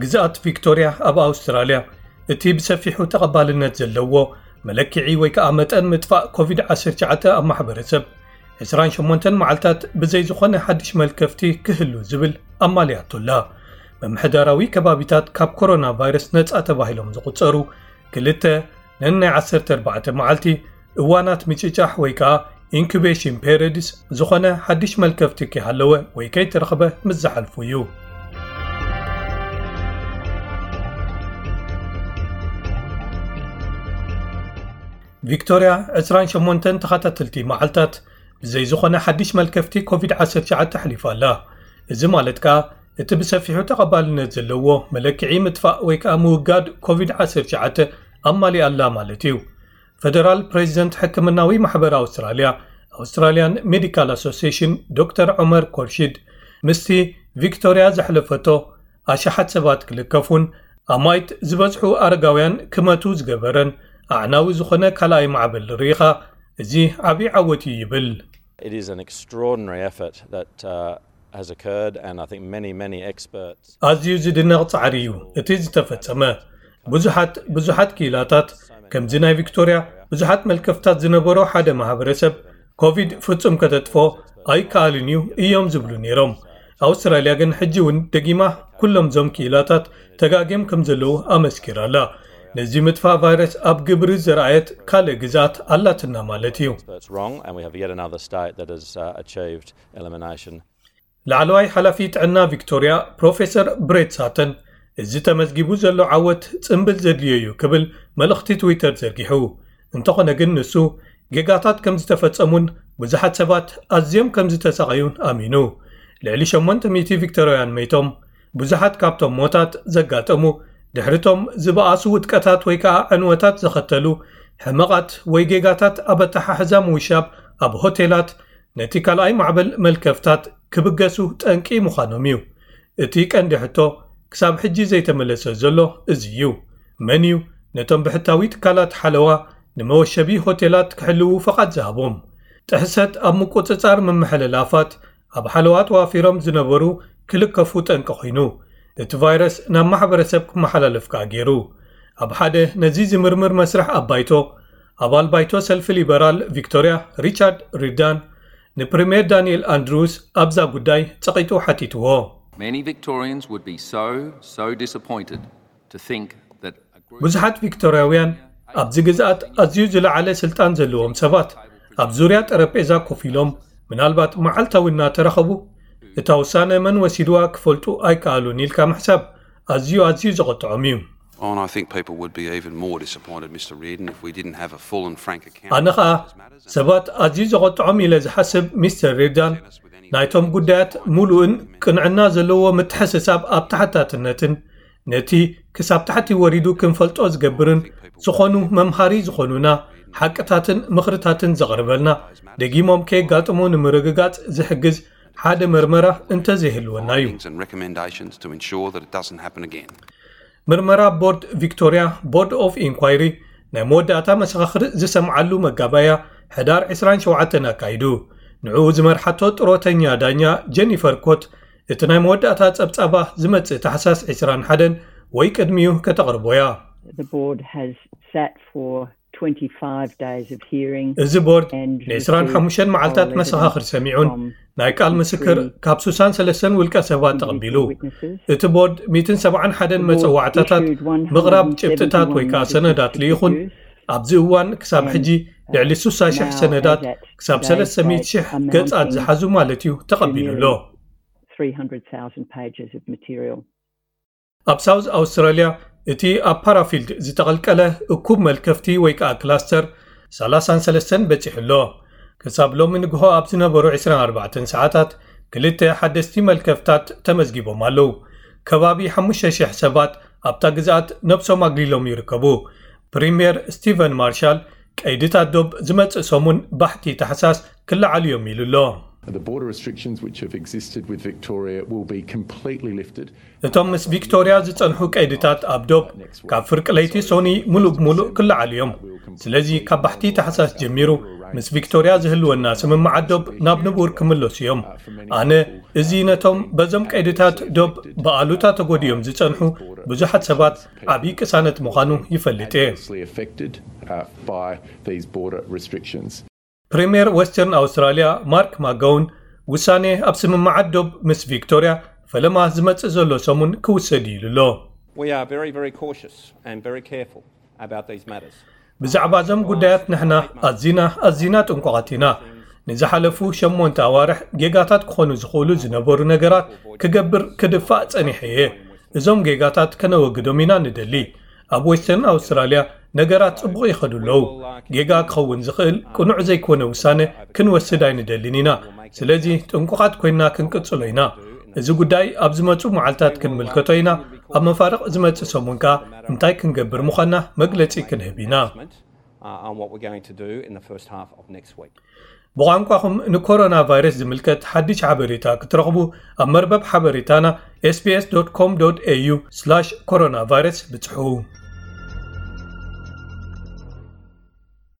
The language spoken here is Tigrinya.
ግዝኣት ቪክቶርያ ኣብ ኣውስትራልያ እቲ ብሰፊሑ ተቐባልነት ዘለዎ መለክዒ ወይ ከዓ መጠን ምጥፋእ ኮቪድ ዓሰርተ ትሽዓተ ኣብ ማሕበረሰብ ዕስራን ሸሞንተን መዓልታት ብዘይ ዝኾነ ሓድሽ መልከፍቲ ክህሉ ዝብል ኣማልያቶላ። ምምሕዳራዊ ከባቢታት ካብ ኮሮና ቫይረስ ነፃ ተባሂሎም ዝቑፀሩ ክልተ ነናይ ዓሰርተ ኣርባዕተ መዓልቲ እዋናት ምጭጫሕ ወይ ከዓ ኢንኩቤሽን ፔሪድስ ዝኾነ ሓድሽ መልከፍቲ ከይሃለወ ወይ ከይተረኽበ ምስ ዝሓልፉ እዩ። ቪክቶርያ ዕስራን ሸሞንተን ተኸታተልቲ መዓልታት ብዘይ ዝኾነ ሓድሽ መልከፍቲ ኮቪድ ዓሰርተ ትሽዓተ ኣሕሊፋ ኣላ። እዚ ማለት ከኣ እቲ ብሰፊሑ ተቐባልነት ዘለዎ መለክዒ ምጥፋእ ወይ ከኣ ምውጋድ ኮቪድ ዓሰርተ ትሽዓተ ኣማሊኣ ኣላ ማለት እዩ። ፈደራል ፕሬዚደንት ሕክምናዊ ማሕበር ኣውስትራልያ፣ ኣውስትራልያን ሜዲካል ኣሶሲሽን፣ ዶክተር ዑመር ኮርሺድ ምስቲ ቪክቶርያ ዘሕለፈቶ ኣሽሓት ሰባት ክልከፉን ኣማይት ዝበዝሑ ኣረጋውያን ክመቱ ዝገበረን ኣዕናዊ ዝኾነ ካልኣይ ማዕበል ርኢኻ፣ እዚ ዓብዪ ዓወት እዩ ይብል። It is an extraordinary effort that uh, has occurred, and I think many, many experts. ኣዝዩ ዝድነቕ ጻዕሪ እዩ እቲ ዝተፈጸመ። ብዙሓት ብዙሓት ክኢላታት ከምዚ ናይ ቪክቶርያ ብዙሓት መልከፍታት ዝነበሮ ሓደ ማህበረሰብ ኮቪድ ፍጹም ከተጥፎ ኣይከኣልን እዩ እዮም ዝብሉ ነይሮም። ኣውስትራልያ ግን ሕጂ እውን ደጊማ ኩሎም ዞም ክኢላታት ተጋግዮም ከም ዘለዉ ኣመስኪራ ኣላ። ነዚ ምጥፋእ ቫይረስ ኣብ ግብሪ ዘርኣየት ካልእ ግዝኣት ኣላትና ማለት እዩ። Experts wrong, and we have yet another state that has uh, achieved elimination. ላዕለዋይ ሓላፊ ጥዕና ቪክቶርያ ፕሮፌሰር ብሬት ሳተን፣ እዚ ተመዝጊቡ ዘሎ ዓወት ጽምብል ዘድልዮ እዩ ክብል መልእኽቲ ትዊተር ዘርጊሑ። እንተኾነ ግን ንሱ ጌጋታት ከም ዝተፈጸሙን ብዙሓት ሰባት ኣዝዮም ከም ዝተሳቐዩን ኣሚኑ። ልዕሊ ሸሞንተ ሚእቲ ቪክቶርያውያን መይቶም። ብዙሓት ካብቶም ሞታት ዘጋጠሙ ድሕሪቶም ዝበኣሱ ውድቀታት ወይ ከዓ ዕንወታት ዘኸተሉ ሕመቓት ወይ ጌጋታት ኣብ ኣተሓሕዛ ምውሻብ ኣብ ሆቴላት ነቲ ካልኣይ ማዕበል መልከፍታት ክብገሱ ጠንቂ ምዃኖም እዩ። እቲ ቀንዲ ሕቶ ክሳብ ሕጂ ዘይተመለሰ ዘሎ እዚ እዩ። መን እዩ ነቶም ብሕታዊ ትካላት ሓለዋ ንመወሸቢ ሆቴላት ክሕልዉ ፈቓድ ዝሃቦም? ጥሕሰት ኣብ ምቁጽጻር ምምሕልላፋት ኣብ ሓለዋ ተዋፊሮም ዝነበሩ ክልከፉ ጠንቂ ኮይኑ፣ እቲ ቫይረስ ናብ ማሕበረሰብ ክመሓላለፍ ከኣ ገይሩ። ኣብ ሓደ ነዚ ዝምርምር መስርሕ ኣብ ባይቶ፣ ኣባል ባይቶ ሰልፊ ሊበራል ቪክቶርያ ሪቻርድ ሪዳን ንፕሪምየር ዳንኤል ኣንድሩስ ኣብዛ ጉዳይ ጸቒጡ ሓቲትዎ። Many Victorians would be so, so disappointed to think that a group ብዙሓት ቪክቶርያውያን ኣብዚ ግዝኣት ኣዝዩ ዝለዓለ ስልጣን ዘለዎም ሰባት ኣብ ዙርያ ጠረጴዛ ኮፍ ኢሎም ምናልባት መዓልታዊ እናተራኸቡ እታ ውሳነ መን ወሲድዋ ክፈልጡ ኣይከኣሉን ኢልካ ምሕሳብ ኣዝዩ ኣዝዩ ዘቐጥዖም እዩ። Oh, and I think people would be even more disappointed, Mr Reardon, if we didn't have a full and frank account ኣነ ኸኣ ሰባት ኣዝዩ ዘቐጥዖም ኢለ ዝሓስብ ሚስተር ሪርዳን ናይቶም ጉዳያት ሙሉእን ቅንዕና ዘለዎ ምትሕስሳብ ኣብ ተሓታትነትን ነቲ ክሳብ ታሕቲ ወሪዱ ክንፈልጦ ዝገብርን ዝኾኑ መምሃሪ ዝኾኑና ሓቅታትን ምኽርታትን ዘቕርበልና ደጊሞም ከየጋጥሙ ንምርግጋጽ ዝሕግዝ ሓደ መርመራ እንተዘይህልወና እዩ። ምርመራ ቦርድ ቪክቶርያ ቦርድ ኦፍ ኢንኳይሪ ናይ መወዳእታ መሰኻኽር ዝሰምዓሉ መጋባእያ ሕዳር ዕስራን ሸውዓተን ኣካይዱ። ንዕኡ ዝመርሓቶ ጥሮተኛ ዳኛ ጀኒፈር ኮት እቲ ናይ መወዳእታ ጸብጻባ ዝመጽእ ታሕሳስ ዕስራን ሓደን ወይ ቅድሚኡ ከተቕርቦ እያ። እዚ ቦርድ ን ዕስራን ሓሙሽተን መዓልታት መሰኻኽር ሰሚዑን ናይ ቃል ምስክር ካብ ሱሳን ሰለስተን ውልቀ ሰባት ተቐቢሉ። እቲ ቦርድ ሚእትን ሰብዓን ሓደን መጸዋዕታታት ምቕራብ ጭብጥታት ወይ ከዓ ሰነዳት ልኢኹን ኣብዚ እዋን ክሳብ ሕጂ ልዕሊ ሱሳ ሽሕ ሰነዳት ክሳብ ሰለስተ ሚእቲ ሽሕ ገጻት ዝሓዙ ማለት እዩ ተቐቢሉ ኣሎ። ኣብ ሳውዝ ኣውስትራልያ እቲ ኣብ ፓራፊልድ ዝተቐልቀለ እኩብ መልከፍቲ ወይ ከዓ ክላስተር ሰላሳን ሰለስተን በጺሑ ኣሎ። ክሳብ ሎሚ ንግሆ ኣብ ዝነበሩ ዕስራን ኣርባዕተን ሰዓታት ክልተ ሓደስቲ መልከፍታት ተመዝጊቦም ኣለዉ። ከባቢ ሓሙሽተ ሽሕ ሰባት ኣብታ ግዝኣት ነብሶም ኣግሊሎም ይርከቡ። ፕሪምየር ስቲቨን ማርሻል ቀይድታት ዶብ ዝመጽእ ሰሙን ባሕቲ ታሕሳስ ክለዓሉ እዮም ኢሉ ኣሎ። The border restrictions which have existed with Victoria will be completely lifted. እቶም ምስ ቪክቶርያ ዝጸንሑ ቀይድታት ኣብ ዶብ ካብ ፍርቂ ለይቲ ሶኒ ሙሉእ ብሙሉእ ክለዓሉ እዮም። ስለዚ ካብ ባሕቲ ታሕሳስ ጀሚሩ ምስ ቪክቶርያ ዝህልወና ስምምዓት ዶብ ናብ ንቡር ክምለሱ እዮም። ኣነ እዚ ነቶም በዞም ቀይድታት ዶብ ብኣሉታ ተጎዲዮም ዝጸንሑ ብዙሓት ሰባት ዓብዪ ቅሳነት ምዃኑ ይፈልጥ እየ። Affected uh, by these border restrictions. ፕሪምየር ዌስተርን ኣውስትራልያ ማርክ ማጋውን ውሳኔ ኣብ ስምምዓት ዶብ ምስ ቪክቶርያ ፈለማ ዝመጽእ ዘሎ ሰሙን ክውሰድ እዩ ኢሉ ኣሎ። We are very, very cautious and very careful about these matters. ብዛዕባ እዞም ጉዳያት ንሕና ኣዚና ኣዚና ጥንቁቓት ኢና። ንዝሓለፉ ሸሞንተ ኣዋርሕ ጌጋታት ክኾኑ ዝኽእሉ ዝነበሩ ነገራት ክገብር ክድፋእ ጸኒሐ እየ። እዞም ጌጋታት ከነወግዶም ኢና ንደሊ። ኣብ ዌስተርን ኣውስትራልያ ነገራት ጽቡቕ ይኸዱ ኣለዉ። ጌጋ ክኸውን ዝኽእል ቅኑዕ ዘይኮነ ውሳነ ክንወስድ ኣይንደልን ኢና። ስለዚ ጥንቁቓት ኮይንና ክንቅጽሎ ኢና። እዚ ጉዳይ ኣብ ዝመጹ መዓልታት ክንምልከቶ ኢና። ኣብ መፋርቕ ዝመጽእ ሰሙን ከኣ እንታይ ክንገብር ምዃንና መግለጺ ክንህብ ኢና። Uh, on what we're going to do in the first half of next week. ብቋንቋኹም ንኮሮና ቫይረስ ዝምልከት ሓድሽ ሓበሬታ ክትረኽቡ ኣብ መርበብ ሓበሬታና ኤስቢኤስ ዶት ኮም ዶት ኤዩ ስላሽ ኮሮና ቫይረስ ብጽሑ።